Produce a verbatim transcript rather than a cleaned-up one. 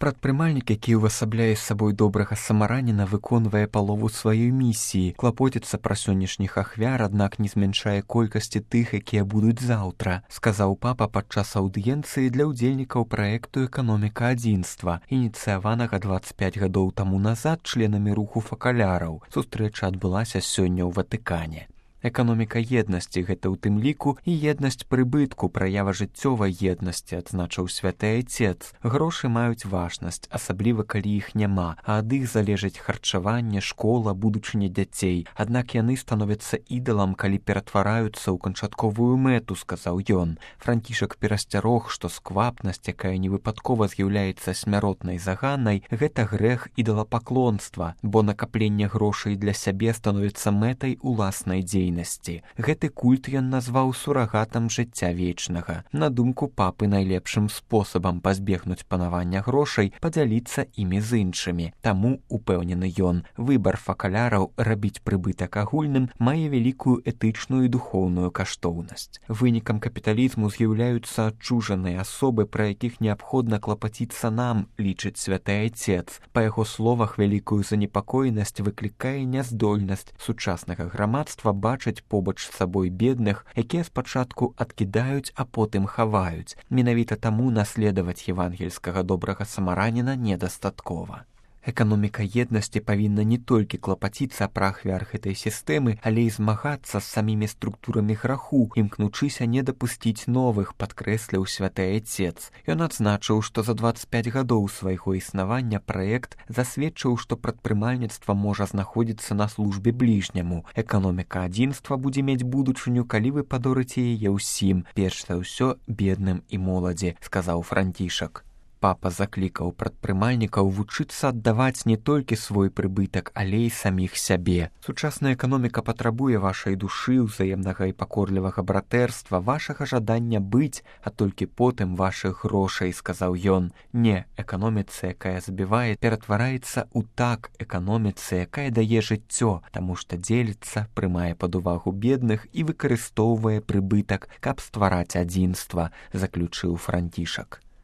Прадпрымальнік, які ўвасабляе сабой добрага самараніна, выконвае палову сваёй місіі, клапоціцца пра сённяшніх ахвяр, аднак не змяншае колькасці тых, якія будуць заўтра, сказаў папа падчас аўдыенцыі для ўдзельнікаў праекту «Эканоміка адзінства», ініцыяванага дваццаць пяць гадоў таму назад членамі руху факаляраў. Сустрэча адбылася сёння ў Ватыкане. Эканоміка еднасці – гэта ў тым ліку і еднасць прыбытку, праява жыццёвай еднасці, адзначыў святы айцец. Грошы маюць важнасць, асабліва калі іх няма, а ад іх залежыць харчаванне, школа, будучыня дзяцей. Аднак яны становяцца ідалам, калі ператвараюцца ў канчатковую мэту, сказаў ён. Францішак перасцярог, што сквапнасць, якая невыпадкова з'яўляецца смяротнай заганай, гэта грэх ідалапаклонства, бо накапленне грошай для сябе становіцца мэтай уласнай дзейнасці. Гэты культ ён назваў сурагатам жыцця вечнага. На думку папы, найлепшым спосабам пазбегнуць панавання грошай падзяліцца імі з іншымі. Таму, упэўнены ён, выбар факаляраў рабіць прыбытак агульным мае вялікую этычную і духоўную каштоўнасць. Вынікам капіталізму з'яўляюцца адчужаныя асобы, пра якіх неабходна клапаціцца нам, лічыць святы айцец. Па яго словах, вялікую занепакоенасць выклікае няздольнасць сучаснага грамадства бачыць побач з сабой бедных, якія спачатку адкідаюць, а потым хаваюць. Менавіта таму наследаваць евангельскага добрага самараніна недастаткова. Эканоміка еднасці павінна не толькі клапаціцца пра ахвяр гэтай сістэмы, але і змагацца з самімі структурамі граху, імкнучыся не дапусціць новых, падкрэсліў святы айцец. Ён адзначыў, што за дваццаць пяць гадоў свайго існавання праект засведчыў, што прадпрымальніцтва можа знаходзіцца на службе бліжняму. Эканоміка адзінства будзе мець будучыню, калі вы падорыце яе ўсім, перш за ўсё бедным і моладзі, сказаў Францішак. Папа заклікаў прадпрымальнікаў вучыцца аддаваць не толькі свой прыбытак, але і саміх сябе. Сучасная эканоміка патрабуе вашай душы, ўзаемнага і пакорлівага братэрства, вашага жадання быць, а толькі потым вашых грошай, сказаў ён. Не, эканоміца, якая забівае, ператвараецца ў так эканоміцы, якая дае жыццё, таму што дзеліцца, прымае пад увагу бедных і выкарыстоўвае прыбытак, каб ствараць адзінства, заключыў Францішак.